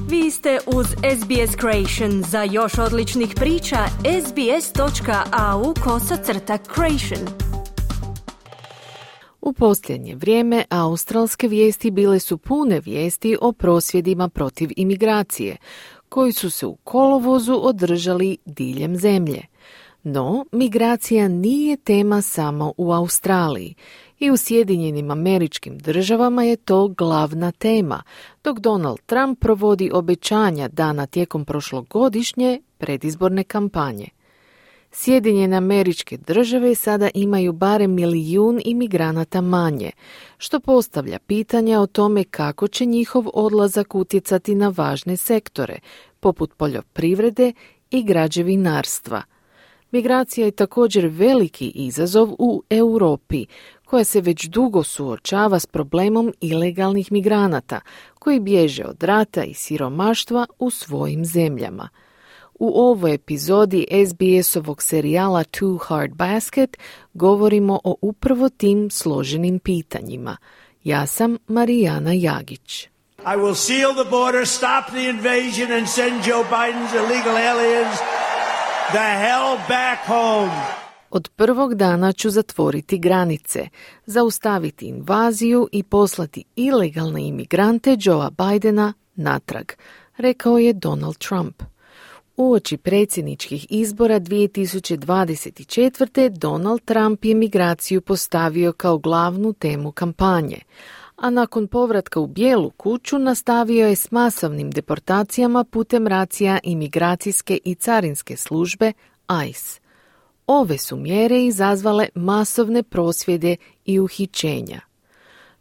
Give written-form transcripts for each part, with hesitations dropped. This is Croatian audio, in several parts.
Vi ste uz SBS Creation. Za još odličnih priča, sbs.au/creation. U posljednje vrijeme australske vijesti bile su pune vijesti o prosvjedima protiv imigracije, koji su se u kolovozu održali diljem zemlje. No, migracija nije tema samo u Australiji. I u Sjedinjenim Američkim Državama je to glavna tema, dok Donald Trump provodi obećanja dana tijekom prošlogodišnje predizborne kampanje. Sjedinjene Američke Države sada imaju barem 1 milijun imigranata manje, što postavlja pitanja o tome kako će njihov odlazak utjecati na važne sektore, poput poljoprivrede i građevinarstva. Migracija je također veliki izazov u Europi, koja se već dugo suočava s problemom ilegalnih migranata, koji bježe od rata i siromaštva u svojim zemljama. U ovoj epizodi SBS-ovog serijala Too Hard Basket govorimo o upravo tim složenim pitanjima. Ja sam Marijana Jagić. I will seal the border, stop the invasion and send Joe Biden's illegal aliens the hell back home. Od prvog dana ću zatvoriti granice, zaustaviti invaziju i poslati ilegalne imigrante Joea Bidena natrag, rekao je Donald Trump. Uoči predsjedničkih izbora 2024. Donald Trump je migraciju postavio kao glavnu temu kampanje, a nakon povratka u Bijelu kuću nastavio je s masovnim deportacijama putem racija imigracijske i carinske službe ICE. Ove su mjere izazvale masovne prosvjede i uhićenja.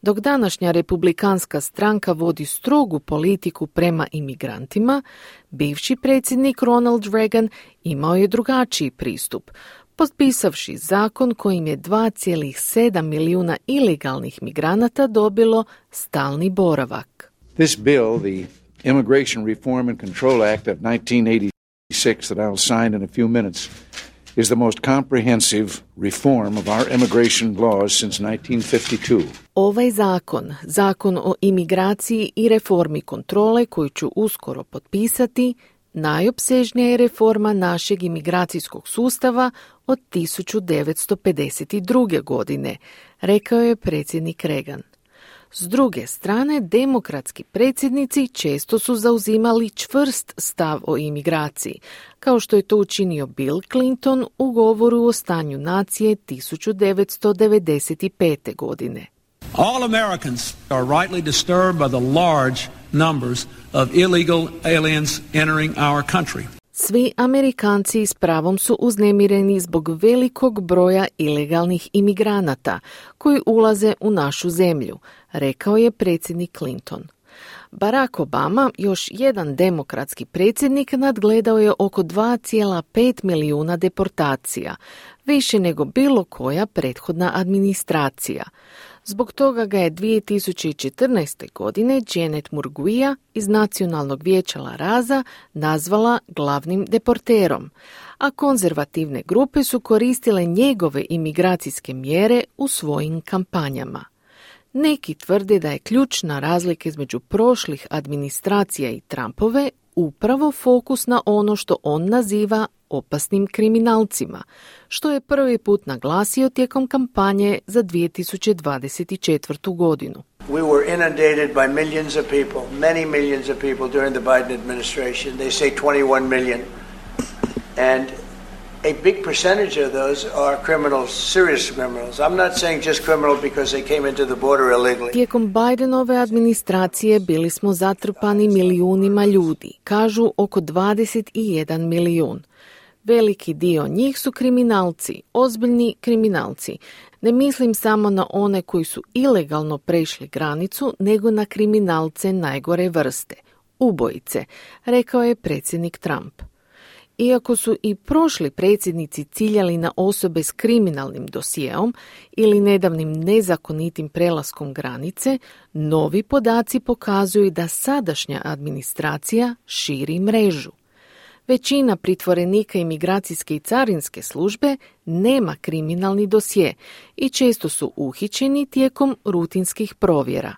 Dok današnja republikanska stranka vodi strogu politiku prema imigrantima, bivši predsjednik Ronald Reagan imao je drugačiji pristup, potpisavši zakon kojim je 2,7 milijuna ilegalnih migranata dobilo stalni boravak. This bill, the Immigration Reform and Control Act of 1986 that I will sign in a few minutes, is the most comprehensive reform of our immigration laws since 1952. Ovaj zakon o imigraciji i reformi kontrole koju ću uskoro potpisati, najopsežnija je reforma našeg imigracijskog sustava od 1952. godine, rekao je predsjednik Reagan. S druge strane, demokratski predsjednici često su zauzimali čvrst stav o imigraciji, kao što je to učinio Bill Clinton u govoru o stanju nacije 1995. godine. All Americans are rightly disturbed by the large numbers of illegal aliens entering our country. Svi Amerikanci s pravom su uznemireni zbog velikog broja ilegalnih imigranata koji ulaze u našu zemlju, rekao je predsjednik Clinton. Barack Obama, još jedan demokratski predsjednik, nadgledao je oko 2,5 milijuna deportacija, više nego bilo koja prethodna administracija. Zbog toga ga je 2014. godine Janet Murguia iz Nacionalnog vijeća La Raza nazvala glavnim deporterom, a konzervativne grupe su koristile njegove imigracijske mjere u svojim kampanjama. Neki tvrde da je ključna razlika između prošlih administracija i Trumpove upravo fokus na ono što on naziva opasnim kriminalcima, što je prvi put naglasio tijekom kampanje za 2024. godinu. We were inundated by millions of people, many millions of people during the Biden administration. They say 21 million. And a big percentage of those are criminals, serious criminals. I'm not saying just criminal because they came into the border illegally. Tijekom Bidenove administracije bili smo zatrpani milijunima ljudi, kažu oko 21 milijun. Veliki dio njih su kriminalci, ozbiljni kriminalci. Ne mislim samo na one koji su ilegalno prešli granicu, nego na kriminalce najgore vrste, ubojice, rekao je predsjednik Trump. Iako su i prošli predsjednici ciljali na osobe s kriminalnim dosijeom ili nedavnim nezakonitim prelaskom granice, novi podaci pokazuju da sadašnja administracija širi mrežu. Većina pritvorenika imigracijske i carinske službe nema kriminalni dosje i često su uhićeni tijekom rutinskih provjera.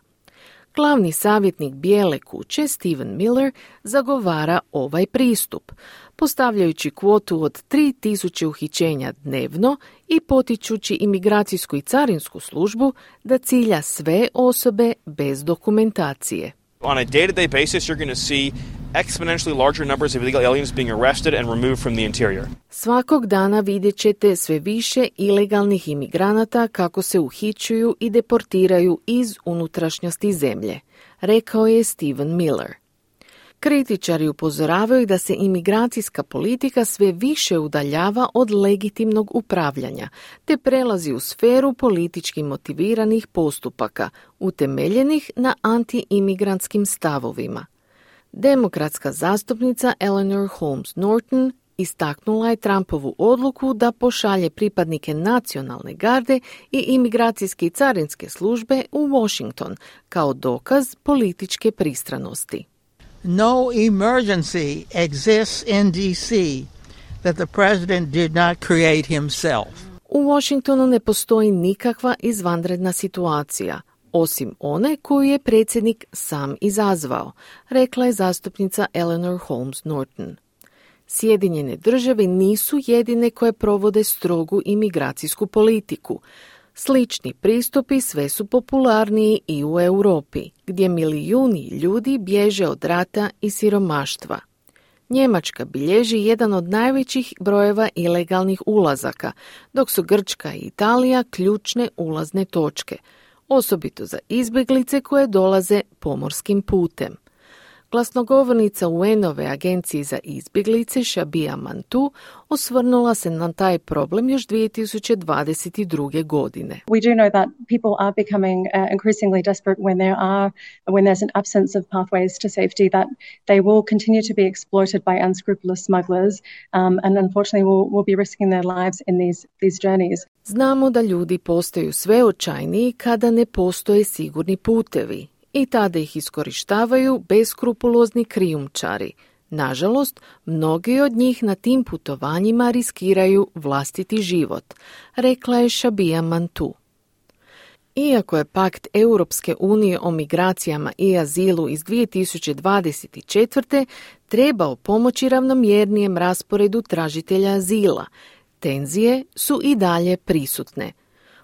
Glavni savjetnik Bijele kuće, Stephen Miller, zagovara ovaj pristup, postavljajući kvotu od 3000 uhićenja dnevno i potičući imigracijsku i carinsku službu da cilja sve osobe bez dokumentacije. On a day-to-day basis, you're going to see exponentially larger numbers of illegal aliens being arrested and removed from the interior. Svakog dana vidjet ćete sve više ilegalnih imigranata kako se uhićuju i deportiraju iz unutrašnjosti zemlje, rekao je Stephen Miller. Kritičari upozoravaju da se imigracijska politika sve više udaljava od legitimnog upravljanja, te prelazi u sferu politički motiviranih postupaka, utemeljenih na anti-imigrantskim stavovima. Demokratska zastupnica Eleanor Holmes Norton istaknula je Trumpovu odluku da pošalje pripadnike nacionalne garde i imigracijske i carinske službe u Washington kao dokaz političke pristranosti. No emergency exists in D.C. that the president did not create himself. U Washingtonu ne postoji nikakva izvanredna situacija, osim one koju je predsjednik sam izazvao, rekla je zastupnica Eleanor Holmes Norton. Sjedinjene države nisu jedine koje provode strogu imigracijsku politiku. Slični pristupi sve su popularniji i u Europi, gdje milijuni ljudi bježe od rata i siromaštva. Njemačka bilježi jedan od najvećih brojeva ilegalnih ulazaka, dok su Grčka i Italija ključne ulazne točke, osobito za izbjeglice koje dolaze pomorskim putem. Glasnogovornica UN-ove agencije za izbjeglice Shabia Mantu osvrnula se na taj problem još 2022. godine. We do know that people are becoming increasingly desperate when there's an absence of pathways to safety, that they will continue to be exploited by unscrupulous smugglers and unfortunately will be risking their lives in these journeys. Znamo da ljudi postaju sve očajniji kada ne postoje sigurni putevi i tada ih iskorištavaju beskrupulozni krijumčari. Nažalost, mnogi od njih na tim putovanjima riskiraju vlastiti život, rekla je Shabia Mantu. Iako je pakt Europske unije o migracijama i azilu iz 2024. trebao pomoći ravnomjernijem rasporedu tražitelja azila, tenzije su i dalje prisutne.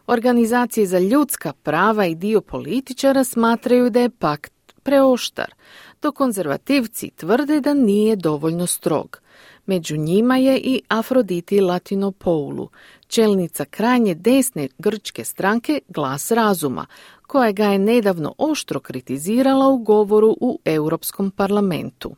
Organizacije za ljudska prava i dio političara smatraju da je pakt preoštar, dok konzervativci tvrde da nije dovoljno strog. Među njima je i Afroditi Latinopoulou, čelnica krajnje desne grčke stranke Glas razuma, koja ga je nedavno oštro kritizirala u govoru u Europskom parlamentu.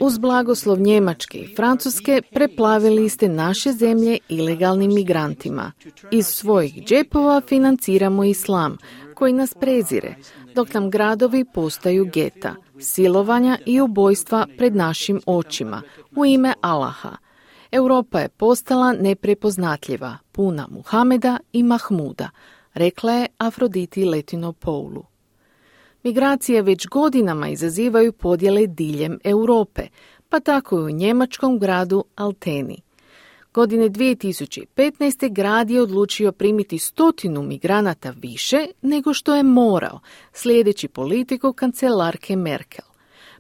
Uz blagoslov Njemačke i Francuske preplavili ste naše zemlje ilegalnim migrantima. Iz svojih džepova financiramo islam, koji nas prezire, dok nam gradovi postaju geta, silovanja i ubojstva pred našim očima, u ime Allaha. Europa je postala neprepoznatljiva, puna Muhameda i Mahmuda, rekla je Afroditi Latinopoulou. Migracije već godinama izazivaju podjele diljem Europe, pa tako i u njemačkom gradu Alteni. Godine 2015. grad je odlučio primiti 100 migranata više nego što je morao, slijedeći politiku kancelarke Merkel.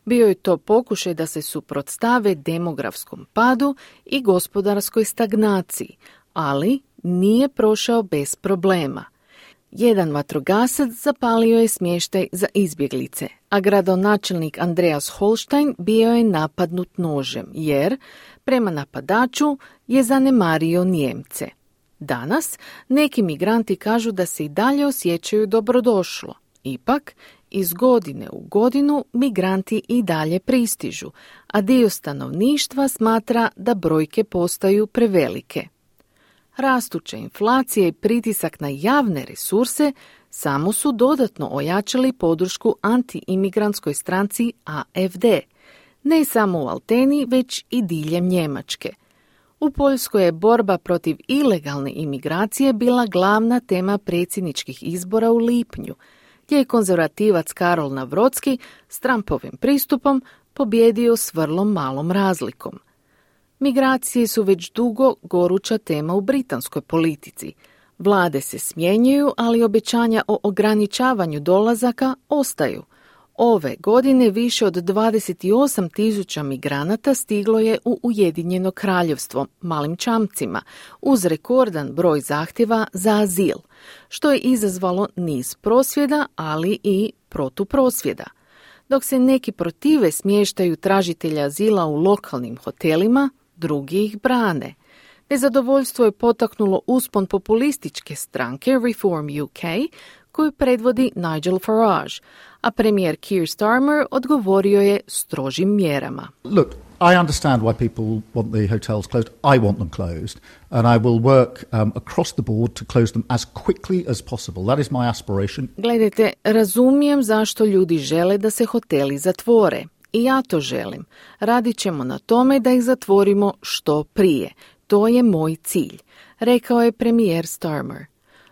Bio je to pokušaj da se suprotstave demografskom padu i gospodarskoj stagnaciji, ali nije prošao bez problema. Jedan vatrogasac zapalio je smještaj za izbjeglice, a gradonačelnik Andreas Holstein bio je napadnut nožem, jer, prema napadaču, je zanemario Nijemce. Danas neki migranti kažu da se i dalje osjećaju dobrodošlo. Ipak, iz godine u godinu migranti i dalje pristižu, a dio stanovništva smatra da brojke postaju prevelike. Rastuća inflacija i pritisak na javne resurse samo su dodatno ojačali podršku anti-imigrantskoj stranci AfD, ne samo u Alteni, već i diljem Njemačke. U Poljskoj je borba protiv ilegalne imigracije bila glavna tema predsjedničkih izbora u lipnju, gdje je konzervativac Karol Nawrocki s Trumpovim pristupom pobjedio s vrlo malom razlikom. Migracije su već dugo goruća tema u britanskoj politici. Vlade se smjenjuju, ali obećanja o ograničavanju dolazaka ostaju. Ove godine više od 28.000 migranata stiglo je u Ujedinjeno kraljevstvo malim čamcima, uz rekordan broj zahtjeva za azil, što je izazvalo niz prosvjeda, ali i protuprosvjeda. Dok se neki protive smještaju tražitelja azila u lokalnim hotelima, drugi ih brane. Nezadovoljstvo je potaknulo uspon populističke stranke Reform UK, koju predvodi Nigel Farage, a premijer Keir Starmer odgovorio je strožim mjerama. Look, I understand why people want the hotels closed. I want them closed. And I will work across the board to close them as quickly as possible. That is my aspiration. Gledajte, razumijem zašto ljudi žele da se hoteli zatvore. I ja to želim. Radit ćemo na tome da ih zatvorimo što prije. To je moj cilj, rekao je premijer Starmer.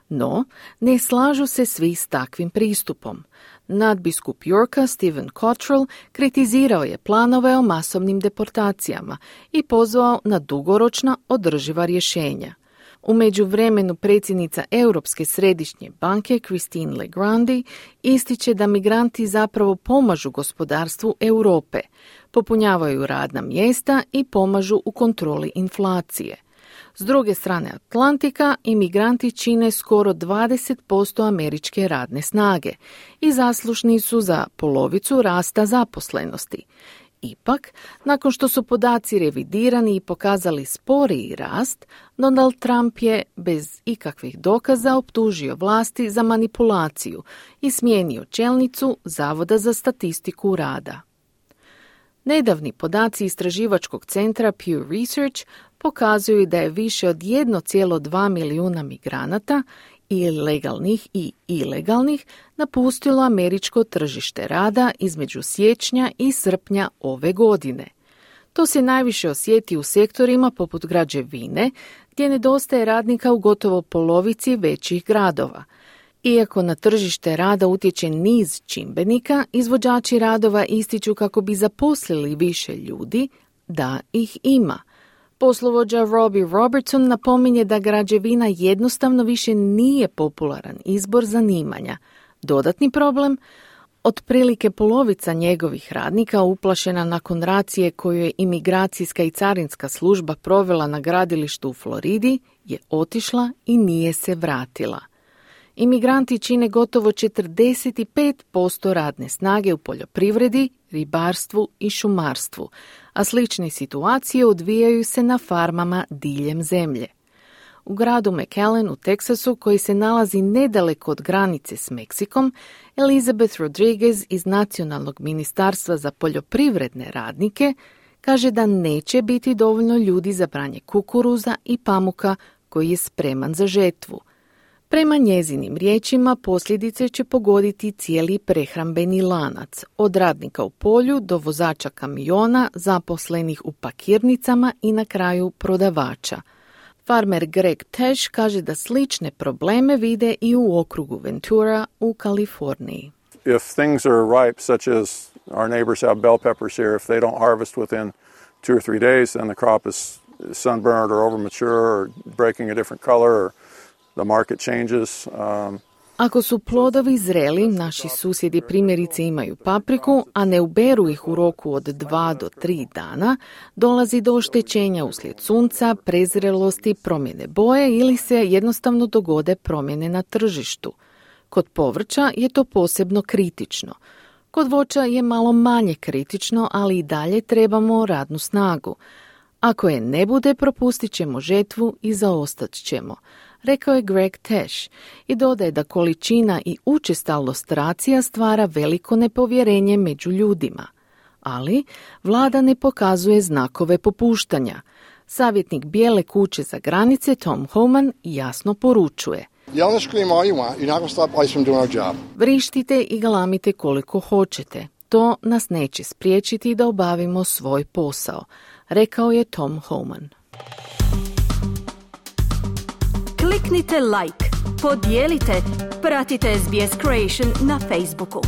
No, ne slažu se svi s takvim pristupom. Nadbiskup Yorka Stephen Cottrell kritizirao je planove o masovnim deportacijama i pozvao na dugoročna održiva rješenja. U međuvremenu predsjednica Europske središnje banke Christine Lagarde ističe da migranti zapravo pomažu gospodarstvu Europe, popunjavaju radna mjesta i pomažu u kontroli inflacije. S druge strane Atlantika, imigranti čine skoro 20% američke radne snage i zaslužni su za polovicu rasta zaposlenosti. Ipak, nakon što su podaci revidirani i pokazali sporiji rast, Donald Trump je bez ikakvih dokaza optužio vlasti za manipulaciju i smijenio čelnicu Zavoda za statistiku rada. Nedavni podaci istraživačkog centra Pew Research pokazuju da je više od 1,2 milijuna migranata, i legalnih i ilegalnih, napustilo američko tržište rada između siječnja i srpnja ove godine. To se najviše osjeti u sektorima poput građevine, gdje nedostaje radnika u gotovo polovici većih gradova. Iako na tržište rada utječe niz čimbenika, izvođači radova ističu kako bi zaposlili više ljudi, da ih ima. Poslovođa Robbie Robertson napominje da građevina jednostavno više nije popularan izbor zanimanja. Dodatni problem? Otprilike polovica njegovih radnika, uplašena nakon racije koju je imigracijska i carinska služba provela na gradilištu u Floridi, je otišla i nije se vratila. Imigranti čine gotovo 45% radne snage u poljoprivredi, ribarstvu i šumarstvu, a slične situacije odvijaju se na farmama diljem zemlje. U gradu McAllen u Teksasu, koji se nalazi nedaleko od granice s Meksikom, Elizabeth Rodriguez iz Nacionalnog ministarstva za poljoprivredne radnike kaže da neće biti dovoljno ljudi za branje kukuruza i pamuka koji je spreman za žetvu. Prema njezinim riječima, posljedice će pogoditi cijeli prehrambeni lanac, od radnika u polju do vozača kamiona, zaposlenih u pakirnicama i na kraju prodavača. Farmer Greg Tesh kaže da slične probleme vide i u okrugu Ventura u Kaliforniji. If things are ripe, such as our neighbors have bell peppers here, if they don't harvest within 2 or 3 days, then the crop is sunburned or overmature or breaking a different color or the market changes. Ako su plodovi zreli, naši susjedi primjerice imaju papriku, a ne uberu ih u roku od 2 do 3 dana, dolazi do oštećenja uslijed sunca, prezrelosti, promjene boje ili se jednostavno dogode promjene na tržištu. Kod povrća je to posebno kritično. Kod voća je malo manje kritično, ali i dalje trebamo radnu snagu. Ako je ne bude, propustit ćemo žetvu i zaostat ćemo, rekao je Greg Tesh i dodaje da količina i učestalost racija stvara veliko nepovjerenje među ljudima. Ali vlada ne pokazuje znakove popuštanja. Savjetnik Bijele kuće za granice Tom Homan jasno poručuje: vrištite i galamite koliko hoćete. To nas neće spriječiti da obavimo svoj posao, rekao je Tom Homan. Kliknite like, podijelite, pratite SBS Creation na Facebooku.